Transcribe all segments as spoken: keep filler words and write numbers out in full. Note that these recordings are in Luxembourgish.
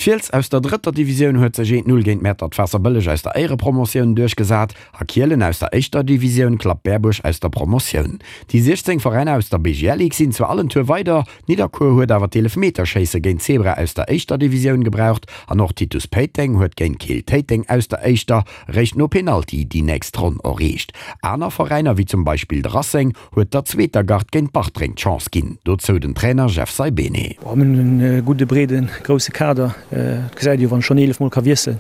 D'Fiels aus der drëtter Divisioun huet sech eent Null géint Mäertert-Waasserbëlleg aus der Éierepromotioun duerchgesat a Kielen aus der éischter Divisioun klappt Berbuerg aus der Promotioun. Déi siechzéng Veräiner aus der B G L Ligue sinn zwar all en Tour weider, Nidderkuer huet awer d'Eelefmeterschéisse géint Zebra aus der éischter Divisioun gebraucht an och Titus Péiteng huet géint Keel Téiteng aus der éischter réischt no Penalty déi nächst Ronn erreecht. Aner Veräiner wéi zum Beispill de Racing huet der zweeter Gard géint Bartreng d'Chance ginn. Dozou den Trainer Jeff Saibene. Mir hunn e gudde breeden, grousse Kader. Et gesäit ee jo, wann ech schonn eelef Mol ka wiesselen,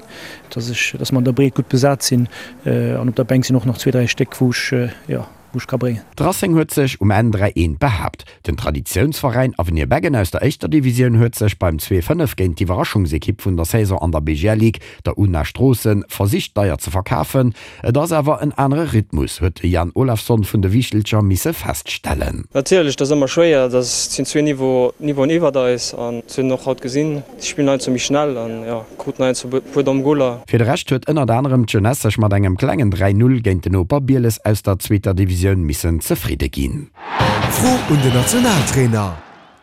dass ech, dass mer an der Breet gutt besat sinn. An op der Bänk sinn och nach zwee, dräi Stéck, wou ech, jo, wou ech ka bréngen. De Racing huet sech um Enn dräi eent behaapt. Den Traditiounsveräin Avenir Beggen aus der éischter Divisioun huet sech beim zwee fënnef géint d'Iwwerraschungsekipp vun der Saison an der B G L Ligue, der Una Stroossen, versicht deier ze verkafen. Et ass awer en anere Rhythmus, huet de Jan Olafsson vun de Wiichtelcher misse feststellen. Natierlech, dat ass ëmmer schwéier, dat sinn zwee Niveau, Niveauen iwwert eis an dat hunn och haut gesinn. Déi spillen heiansdo méi schnell an jo, kruten heiansdo e puer domm Goler. Fir de Rescht huet ënnert anerem d'Jeunesse sech mat engem klengen dräi Null géint den Noper Bieles aus der zweeter Divisioun missen zefridde ginn. Fro un den Nationaltrainer.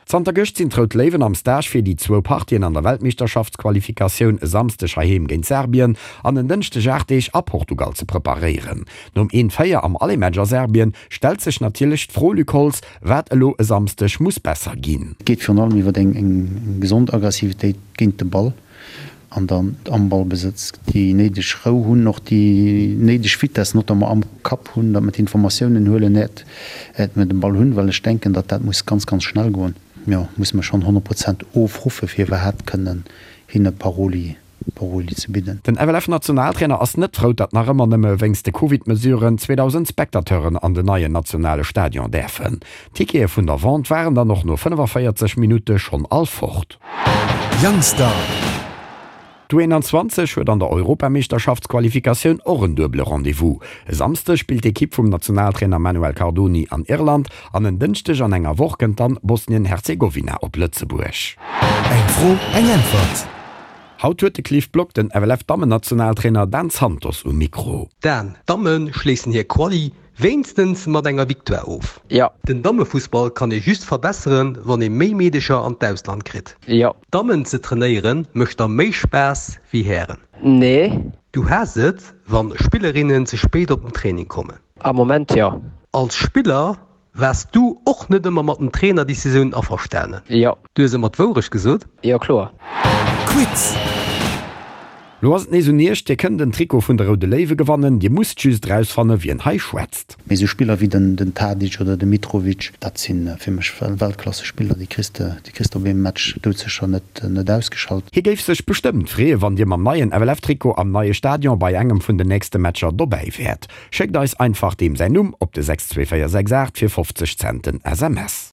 Zanter gëscht sinn d'Rout Léiwen am Stage fir déi zwou Partien an der Weltmeeschterschaftsqualifikatioun e Samsdeg heiheem géint Serbien an en Dënschdeg aacht Deeg a Portugal ze preparéieren. Nom eent véier am Aller-Match a Serbien stellt sech natierlech d'Fro, Luc Holtz, wat elo e Samsdeg muss besser ginn. Et geet virun allem iwwer eng gesond Aggressivitéit géint de Ball an dann am Ballbesëtz déi néideg Rou hunn, och déi néideg Vitess notamment am Kapp hunn, datt mer d'Informatiounen huelen, äert mer de Ball hunn, well ech denken, datt dat muss ganz, ganz schnell goen. Jo, musse mer schonn honnert Prozent ofruffe fir iwwerhaapt kënnen hinne Paroli Paroli ze bidden. Den F L F-Nationaltrainer ass net frou, datt nach ëmmer nëmme wéinst de Covid-Mesuren zweedausend Spectateuren an den neien nationale Stadion däerfen. D'Tickete vun der Vente waren dann och no fënnefavéierzeg Minutte schonn all fort. Youngster. D'U einundzwanzeg huet an der Europameeschterschaftsqualifikatioun och en duebele Rendez-vous. E Samsdeg spillt d'Ekipp vum Nationaltrainer Manuel Cardoni an Irland an en Dënschdeg an enger Woch kënnt dann Bosnien-Herzegowina op Lëtzebuerg. Eng Fro, eng Äntwert. Haut huet de Cliff Block den F L F-Dammennationaltrainer Dan Santos um Mikro. Dan, d'Damme schléissen hir Quali wéinstens mat enger Victoire of. Jo. Den Dammefussball kann ee just verbesseren, wann ee méi Meedecher an d'Ausland kritt. Jo. Dammen ze trainéieren mécht der méi Spaass wéi Hären. Nee. Du haass et, wann Spillerinnen ze spéit op den Training kommen. Am Moment jo. Als Spiller waars du och net ëmmer mat den Trainerdecisiounen averstanen. Jo. Du hues ëmmer d'Wourecht gesot. Jo, kloer. Quiz. Lo ass et nees un Iech, Dir kënnt en Trikot vun de Roude Léiwe gewannen, Dir musst just erausfanne wien hei schwätzt. Mee esou Spiller wéi den Tadic oder de Mitrovic, dat si fir mech Weltklassespiller, déi kriss de déi kriss de op eemem Match doudsécher net net ausgeschalt. Hie géif sech bestëmmt freeë wann Dir mam neien F L F-Trikot am neie Stadion bei engem vun den nächste Matcher dobäi wäert. Schéckt eis einfach deem säin Numm op de sechs zwee véier sechs aacht fir fofzeg Cent den S M S.